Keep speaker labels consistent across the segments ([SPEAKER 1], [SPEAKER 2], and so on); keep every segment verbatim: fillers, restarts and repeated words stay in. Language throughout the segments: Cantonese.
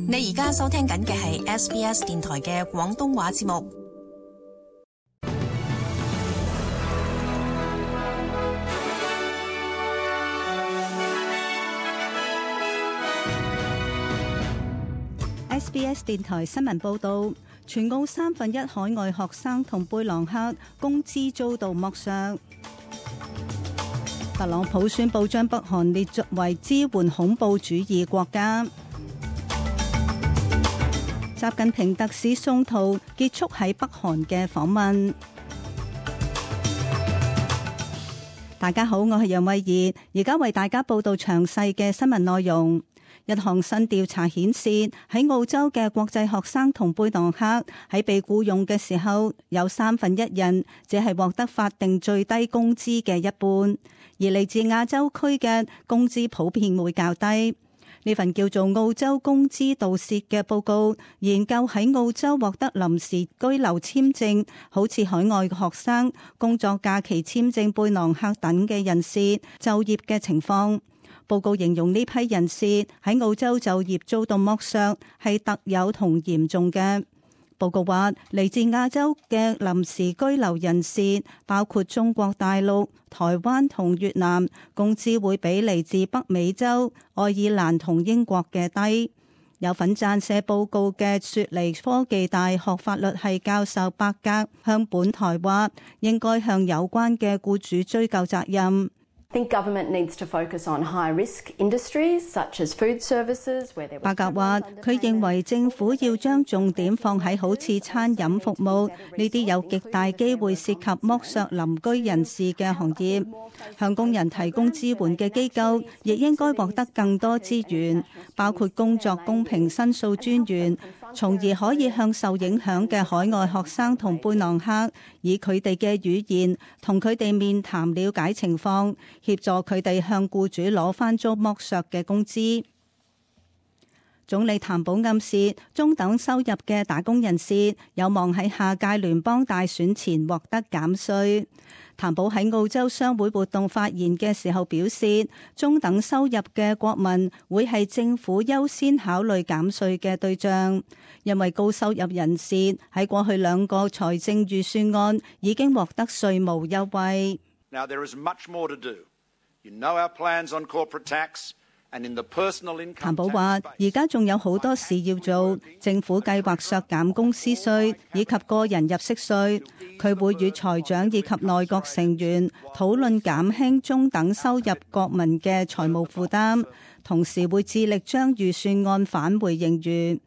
[SPEAKER 1] 你而家收聽緊嘅係 S B S 電台嘅廣東話節目。
[SPEAKER 2] S B S 電台新聞報道，全澳三分一海外學生同貝朗克工資遭到剝削。特朗普宣布將北韓列作為支援恐怖主義國家。習近平特使宋濤結束喺北韓嘅訪問。大家好，我係楊慧儀，而家為大家報道詳細嘅新聞內容。一項新調查顯示，喺澳洲嘅國際學生同貝朗克喺被僱用嘅時候，有三分一人只係獲得法定最低工資嘅一半，而嚟自亞洲區嘅工資普遍會較低。呢份叫做澳洲工資盜竊嘅報告，研究喺澳洲獲得臨時居留簽證，好似海外學生、工作假期簽證、貝朗克等嘅人士就業嘅情況。報告形容呢批人士喺澳洲就業遭到剝削係特有同嚴重嘅。報告話，嚟自亞洲嘅臨時居留人士，包括中國大陸、台灣同越南，工資會比嚟自北美洲、愛爾蘭同英國嘅低。有份撰寫報告嘅雪梨科技大學法律系教授伯格向本台話，應該向有關嘅僱主追究責任。伯格話：佢認為政府要將重點放喺好似餐飲服務呢啲有極大機會涉及剝削鄰居人士嘅行業，向工人提供支援嘅機構亦應該獲得更多資源，包括工作公平申訴專員，從而可以向受影響嘅海外學生同貝朗克以佢哋嘅語言同佢哋面談了解情況，協助佢哋向僱主攞返遭剝削嘅工資。總理譚寶暗示，中等收入嘅打工人士有望喺下屆聯邦大選前獲得減稅。譚寶喺澳洲商會活動發言嘅時候表示，中等收入嘅國民會係政府優先考慮減稅嘅對象，因為高收入人士喺過去兩個財政預算案已經獲得稅務優惠。
[SPEAKER 3] Now there is much more to do. You know our plans on corporate tax and in the personal income tax.
[SPEAKER 2] 譚寶話：而家仲有好多事要做，政府計劃削減公司稅以及個人入息稅。佢會與財長以及內閣成員討論減輕中等收入國民嘅財務負擔，同時會致力將預算案返回盈餘。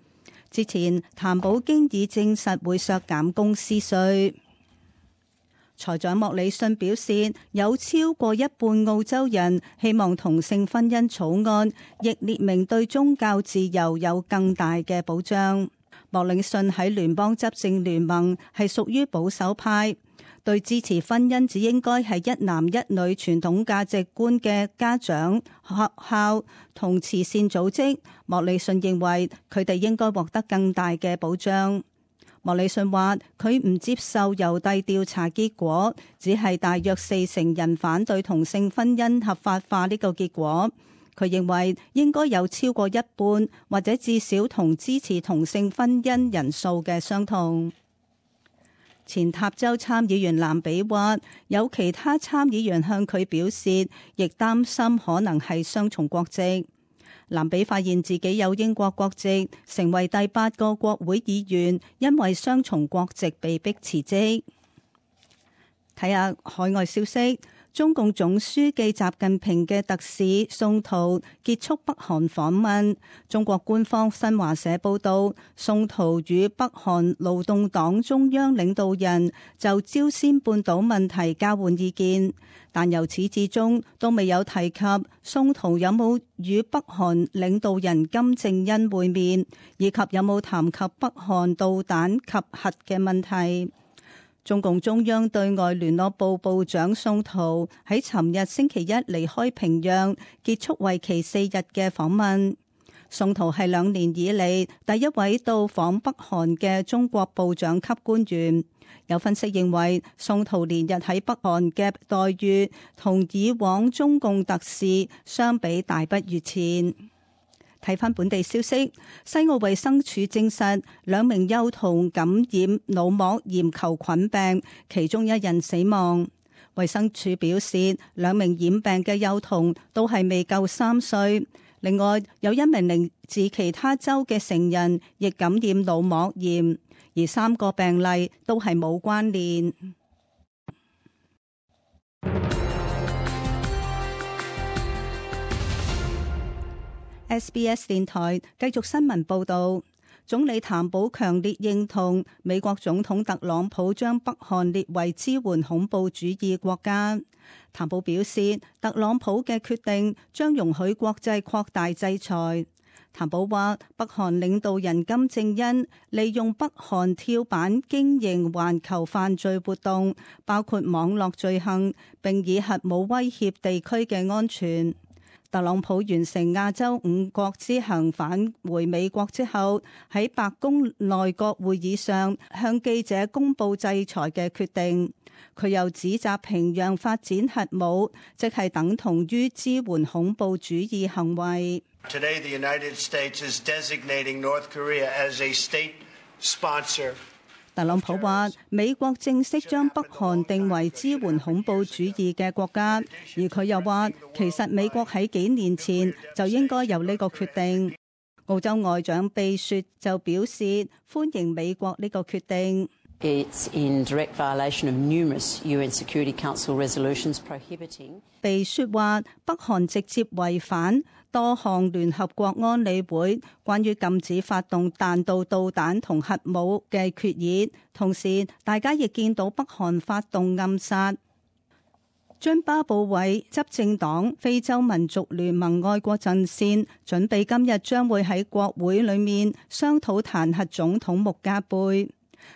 [SPEAKER 2] 之前譚寶經已證實會削減公司稅。財長莫里遜表示，有超過一半澳洲人希望同性婚姻草案亦列明對宗教自由有更大嘅保障。莫里遜喺聯邦執政聯盟係屬於保守派，對支持婚姻只應該係一男一女傳統價值觀嘅家長、學校同慈善組織。莫里遜認為佢哋應該獲得更大嘅保障。莫里遜話：佢唔接受郵遞調查結果，只係大約四成人反對同性婚姻合法化呢個結果。佢認為應該有超過一半或者至少同支持同性婚姻人數嘅相同。前塔州參議員藍比話：有其他參議員向佢表示，亦擔心可能係雙重國籍。藍比發現自己有英國國籍，成為第八個國會議員，因為雙重國籍被迫辭職。睇下海外消息，中共總書記習近平嘅特使宋濤結束北韓訪問。中國官方新華社報道，宋濤與北韓勞動黨中央領導人就朝鮮半島問題交換意見，但由始至終都未有提及宋濤有冇與北韓領導人金正恩會面，以及有冇談及北韓導彈及核嘅問題。中共中央對外聯絡部部長宋濤喺尋日星期一離開平壤，結束為期四日嘅訪問。宋濤係兩年以嚟第一位到訪北韓嘅中國部長級官員。有分析認為，宋濤連日喺北韓嘅待遇同以往中共特使相比大不如前。睇返本地消息，西澳衛生署證實兩名幼童感染腦膜炎球菌病，其中一人死亡。衛生署表示，兩名染病嘅幼童都係未夠三歲。另外，有一名嚟自其他州嘅成人亦感染腦膜炎，而三個病例都係冇關聯。S B S 電台繼續新聞報道，總理譚寶強烈認同美國總統特朗普將北韓列為支援恐怖主義國家。譚寶表示，特朗普嘅決定將容許國際擴大制裁。譚寶話，北韓領導人金正恩利用北韓跳板經營環球犯罪活動，包括網絡罪行，並以核武威脅地區嘅安全。特朗普完成亞洲五國之行返回美國之後，喺白宮內閣會議上向記者公布制裁嘅決定。佢又指責平壤發展核武，即係等同於支援恐怖主義行為。
[SPEAKER 4] Today, the United States is designating North Korea as a state sponsor.
[SPEAKER 2] 特朗普話：美國正式將北韓定為支援恐怖主義嘅國家，而佢又話，其實美國喺幾年前就應該有呢個決定。澳洲外長貝雪就表示歡迎美國呢個決定。
[SPEAKER 5] It's in direct violation of numerous U N Security Council resolutions prohibiting.
[SPEAKER 2] 貝雪話：北韓直接違反多項聯合國安理會關於禁止發動彈道導彈同核武嘅決議，同時大家亦見到北韓發動暗殺。津巴布韋執政黨非洲民族聯盟愛國陣線準備今日將會喺國會裏面商討彈劾總統穆加貝。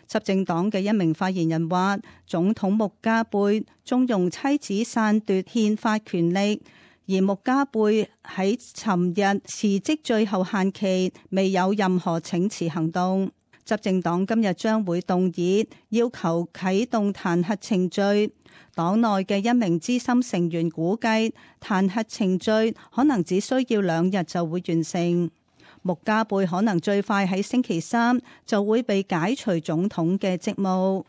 [SPEAKER 2] 執政黨嘅一名發言人話，總統穆加貝縱容妻子篡奪憲法權力，而穆加貝喺尋日辭職最後限期未有任何請辭行動。執政黨今日將會動議要求啟動彈劾程序。黨內嘅一名資深成員估計，彈劾程序可能只需要兩日就會完成。穆加貝可能最快喺星期三就會被解除總統嘅職務。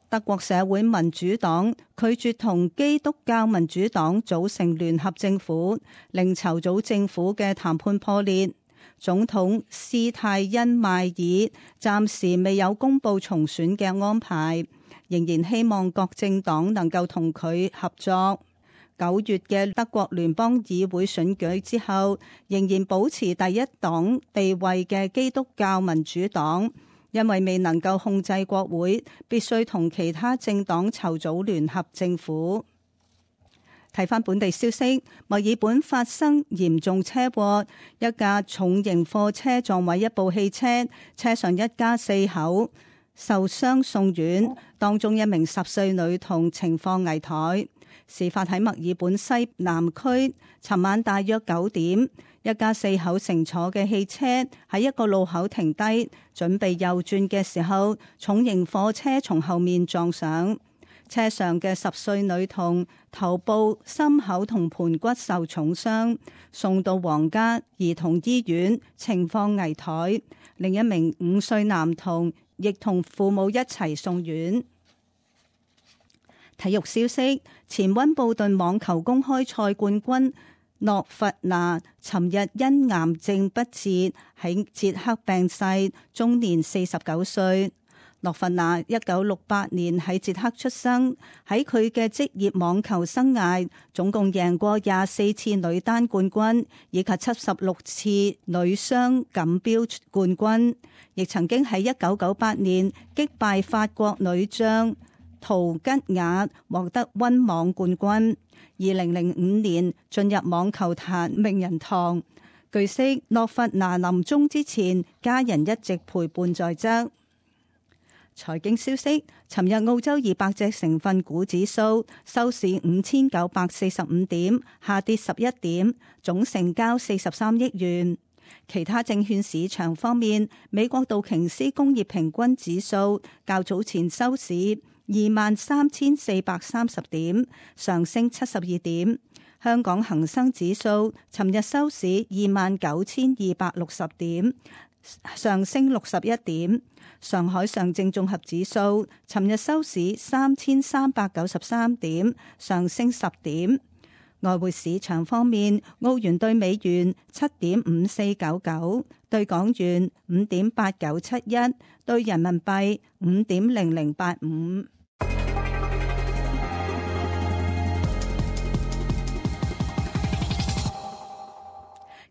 [SPEAKER 2] 德國社會民主黨拒絕同基督教民主黨組成聯合政府，令籌組政府嘅談判破裂。總統施泰因邁爾暫時未有公布重選嘅安排，仍然希望各政黨能夠同佢合作。九月嘅德國聯邦議會選舉之後，仍然保持第一黨地位嘅基督教民主黨，因為未能夠控制國會，必須同其他政黨籌組聯合政府。睇返本地消息，墨爾本發生嚴重車禍，一架重型貨車撞毀一部汽車，車上一家四口受傷送院，當中一名十歲女童情況危殆。事發喺墨爾本西南區，尋晚大約九點，一家四口乘坐嘅汽車喺一個路口停低，準備右轉嘅時候，重型貨車從後面撞上。車上嘅十歲女童頭部、心口同盆骨受重傷，送到皇家兒童醫院，情況危殆。另一名五歲男童亦同父母一齊送院。體育消息，前溫布頓網球公開賽冠軍諾弗拿尋日因癌症不治喺捷克病逝，終年四十九歲。諾弗拿一九六八年喺捷克出生，喺佢嘅職業網球生涯總共贏過廿四次女單冠軍，以及七十六次女雙錦標冠軍，亦曾經喺一九九八年擊敗法國女將陶吉雅獲得溫網冠軍。二零零五年進入網球壇名人堂。據悉，諾弗拿臨終之前，家人一直陪伴在側。財經消息，尋日澳洲二百隻成分股指數收市五千九百四十五點，下跌十一點，總成交四十三億元。其他證券市場方面，美國道瓊斯工業平均指數較早前收市二萬三千四百三十點，上升七十二點。香港恒生指數尋日收市二萬九千二百六十點，上升六十一點。上海上證綜合指數尋日收市三千三百九十三點，上升十點。外匯市場方面，澳元兌美元七點五四九九，兌港元五點八九七一，兌人民幣五點零零八五。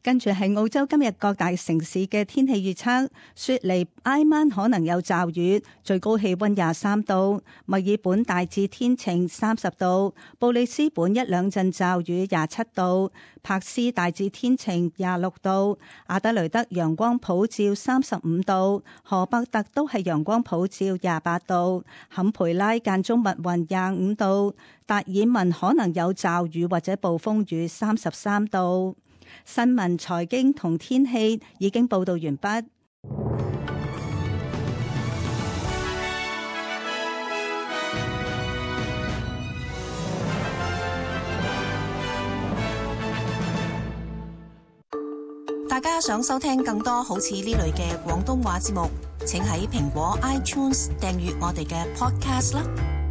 [SPEAKER 2] 跟住係澳洲今日各大城市嘅天氣預測：雪梨挨晚可能有驟雨，最高氣溫廿三度；墨爾本大致天晴，三十度；布里斯本一兩陣驟雨，廿七度；柏斯大致天晴，廿六度；阿德雷德陽光普照，三十五度；荷伯特都係陽光普照，廿八度；坎培拉間中密雲，廿五度；達爾文可能有驟雨或者暴風雨，三十三度。新聞、財經同天氣已經報道完畢。
[SPEAKER 1] 大家想收聽更多好似呢類嘅廣東話節目，請喺蘋果 iTunes 訂閱我哋嘅 Podcast 啦。